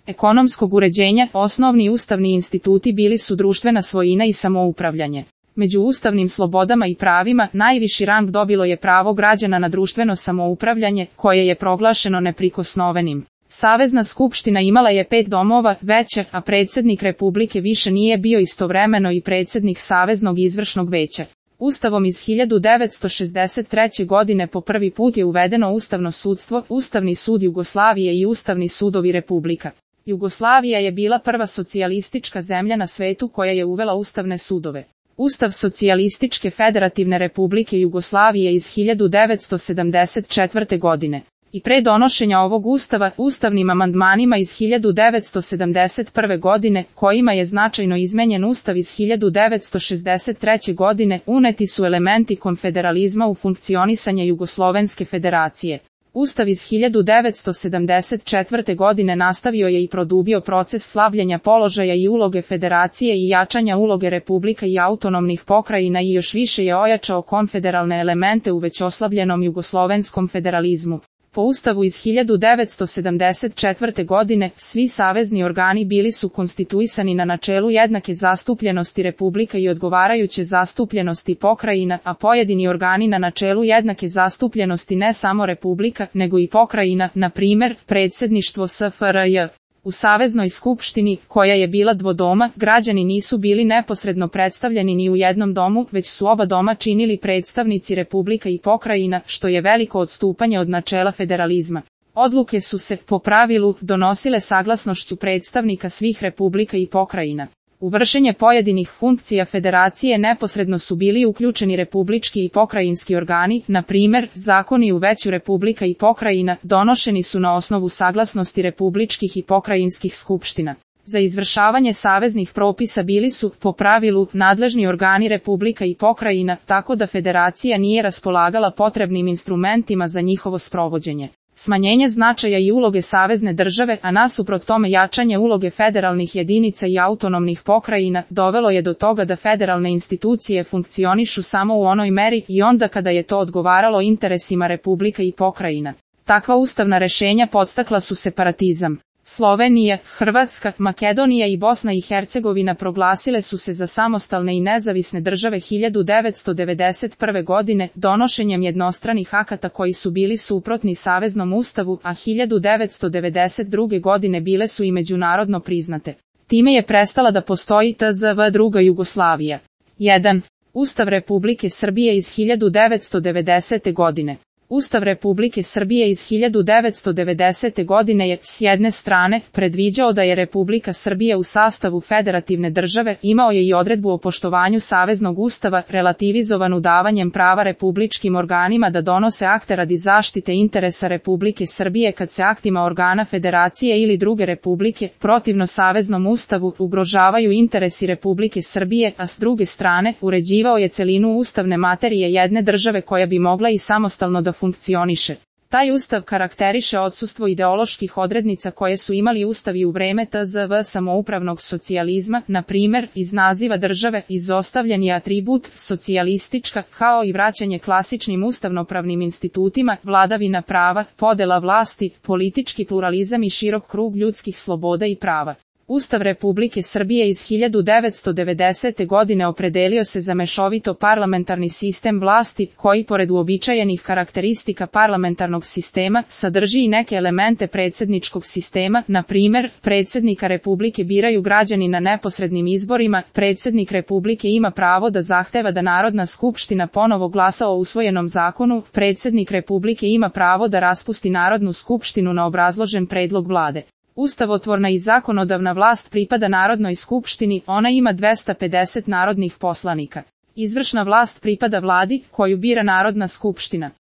ekonomskog uređenja, osnovni ustavni instituti bili su društvena svojina i samoupravljanje. Među ustavnim slobodama i pravima, najviši rang dobilo je pravo građana na društveno samoupravljanje, koje je proglašeno neprikosnovenim. Savezna skupština imala je 5 domova, veća, a predsjednik Republike više nije bio istovremeno i predsjednik Saveznog izvršnog veća. Ustavom iz 1963. godine po prvi put je uvedeno ustavno sudstvo, Ustavni sud Jugoslavije i Ustavni sudovi Republika. Jugoslavija je bila prva socijalistička zemlja na svetu koja je uvela ustavne sudove. Ustav Socijalističke Federativne Republike Jugoslavije iz 1974. godine. I pre donošenja ovog ustava, ustavnim amandmanima iz 1971. godine, kojima je značajno izmenjen ustav iz 1963. godine, uneti su elementi konfederalizma u funkcionisanje Jugoslovenske federacije. Ustav iz 1974. godine nastavio je i produbio proces slabljenja položaja i uloge federacije i jačanja uloge republika i autonomnih pokrajina i još više je ojačao konfederalne elemente u već oslabljenom jugoslovenskom federalizmu. Po Ustavu iz 1974. godine, svi savezni organi bili su konstituisani na načelu jednake zastupljenosti republika i odgovarajuće zastupljenosti pokrajina, a pojedini organi na načelu jednake zastupljenosti ne samo republika, nego i pokrajina, na primjer, predsjedništvo SFRJ. U Saveznoj skupštini, koja je bila dvodoma, građani nisu bili neposredno predstavljeni ni u jednom domu, već su oba doma činili predstavnici republika i pokrajina, što je veliko odstupanje od načela federalizma. Odluke su se, po pravilu, donosile saglasnošću predstavnika svih republika i pokrajina. U vršenje pojedinih funkcija federacije neposredno su bili uključeni republički i pokrajinski organi, na primjer, zakoni u veću republika i pokrajina, donošeni su na osnovu saglasnosti republičkih i pokrajinskih skupština. Za izvršavanje saveznih propisa bili su, po pravilu, nadležni organi republika i pokrajina, tako da federacija nije raspolagala potrebnim instrumentima za njihovo sprovođenje. Smanjenje značaja i uloge savezne države, a nasuprot tome jačanje uloge federalnih jedinica i autonomnih pokrajina, dovelo je do toga da federalne institucije funkcionišu samo u onoj meri i onda kada je to odgovaralo interesima republika i pokrajina. Takva ustavna rešenja podstakla su separatizam. Slovenija, Hrvatska, Makedonija i Bosna i Hercegovina proglasile su se za samostalne i nezavisne države 1991. godine donošenjem jednostranih akata koji su bili suprotni Saveznom ustavu, a 1992. godine bile su i međunarodno priznate. Time je prestala da postoji tzv. druga Jugoslavija. 1. Ustav Republike Srbije iz 1990. godine. Ustav Republike Srbije iz 1990. godine je, s jedne strane, predviđao da je Republika Srbija u sastavu federativne države, imao je i odredbu o poštovanju Saveznog ustava, relativizovanu davanjem prava republičkim organima da donose akte radi zaštite interesa Republike Srbije kad se aktima organa federacije ili druge republike, protivno Saveznom ustavu, ugrožavaju interesi Republike Srbije, a s druge strane, uređivao je celinu ustavne materije jedne države koja bi mogla i samostalno da funkcioniše. Taj ustav karakteriše odsustvo ideoloških odrednica koje su imali ustavi u vreme tzv. Samoupravnog socijalizma, na primjer, iz naziva države izostavljen je atribut socijalistička, kao i vraćanje klasičnim ustavnopravnim institutima, vladavina prava, podela vlasti, politički pluralizam i širok krug ljudskih sloboda i prava. Ustav Republike Srbije iz 1990. godine opredelio se za mešovito parlamentarni sistem vlasti, koji pored uobičajenih karakteristika parlamentarnog sistema, sadrži i neke elemente predsjedničkog sistema, na primjer, predsjednika Republike biraju građani na neposrednim izborima, predsjednik Republike ima pravo da zahteva da Narodna skupština ponovo glasa o usvojenom zakonu, predsjednik Republike ima pravo da raspusti Narodnu skupštinu na obrazložen predlog vlade. Ustavotvorna i zakonodavna vlast pripada Narodnoj skupštini, ona ima 250 narodnih poslanika. Izvršna vlast pripada vladi, koju bira Narodna skupština.